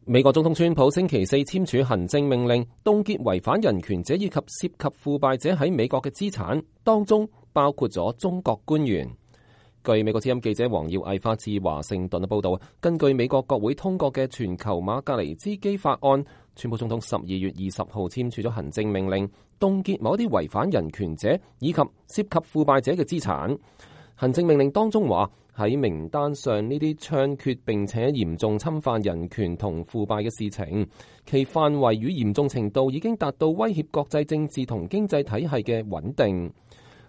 美國總統川普星期四簽署行政命令，凍結違反人權者以及涉及腐敗者喺美國嘅資產，當中包括咗中國官員。據美國之音記者黃耀毅發自華盛頓嘅報道，根據美國國會通過嘅全球馬格尼茲基法案，川普總統12月20號簽署咗行政命令，凍結某啲違反人權者以及涉及腐敗者嘅資產。行政命令當中話，喺名單上呢啲猖獗並且嚴重侵犯人權同腐敗嘅事情，其範圍與嚴重程度已經達到威脅國際政治同經濟體系嘅穩定。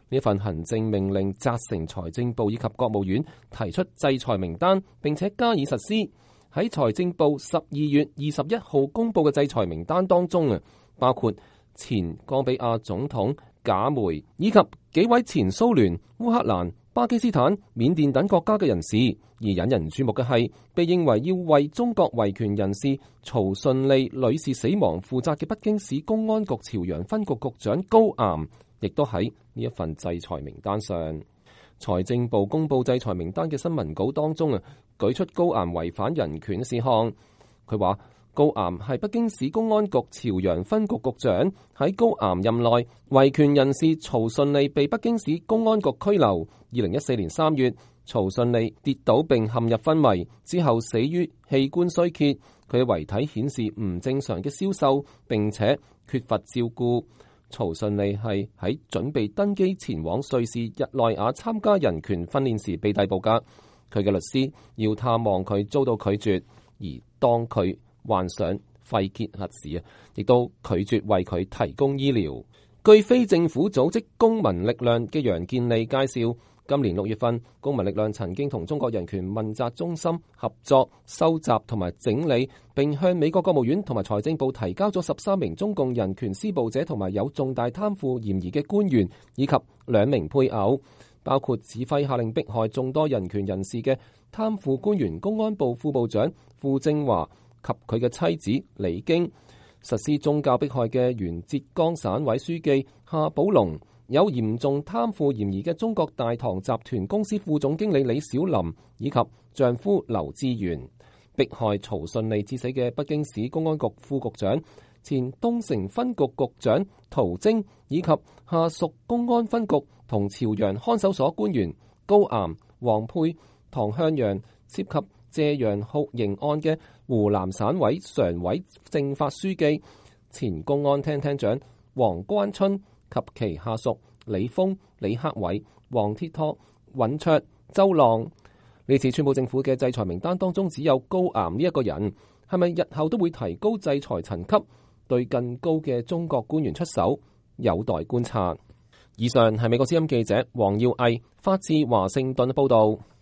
呢份行政命令責成財政部以及國務院提出制裁名單，並且加以實施。喺財政部12月21號公佈嘅制裁名單當中包括前岡比亞總統賈梅以及幾位前蘇聯、烏克蘭、巴基斯坦、緬甸等國家嘅人士。而引人注目嘅係，被認為要為中國維權人士曹順利女士死亡負責嘅北京市公安局朝陽分局局長高岩，亦都喺呢一份制裁名單上。財政部公布制裁名單嘅新聞稿當中舉出高岩違反人權事項。佢話高岩係北京市公安局朝陽分局局長，喺高岩任內，維權人士曹順利被北京市公安局拘留。2014年3月，曹順利跌倒並陷入昏迷，之後死於器官衰竭。佢嘅遺體顯示唔正常嘅消瘦，並且缺乏照顧。曹順利係喺準備登機前往瑞士日內瓦參加人權訓練時被逮捕㗎。佢嘅律師要探望佢遭到拒絕，而當佢患上肺結核時亦都拒絕為佢提供醫療。據非政府組織公民力量嘅楊建利介紹，今年6月份，公民力量曾經同中國人權問責中心合作收集同埋整理，並向美國國務院同埋財政部提交咗13名中共人權施暴者同埋有重大貪腐嫌疑嘅官員以及2名配偶，包括指揮下令迫害眾多人權人士嘅貪腐官員公安部副部長傅政華及佢嘅妻子李京，實施宗教迫害嘅原浙江省委書記夏寶龍，有嚴重貪腐嫌疑嘅中國大唐集團公司副總經理李小林以及丈夫劉志元，迫害曹順利致死嘅北京市公安局副局長、前東城分局局長陶晶以及下屬公安分局同朝陽看守所官員高岩、王沛、唐向陽，涉及謝陽酷刑案嘅湖南省委常委政法書記、前公安廳廳長王關春及其下屬李峰、李克偉、黃鐵托、尹卓、周浪。呢次川普政府嘅制裁名單當中只有高岩呢一個人，係咪日後都會提高制裁層級，對更高嘅中國官員出手，有待觀察。以上係美國之音記者黃耀毅發自華盛頓報道。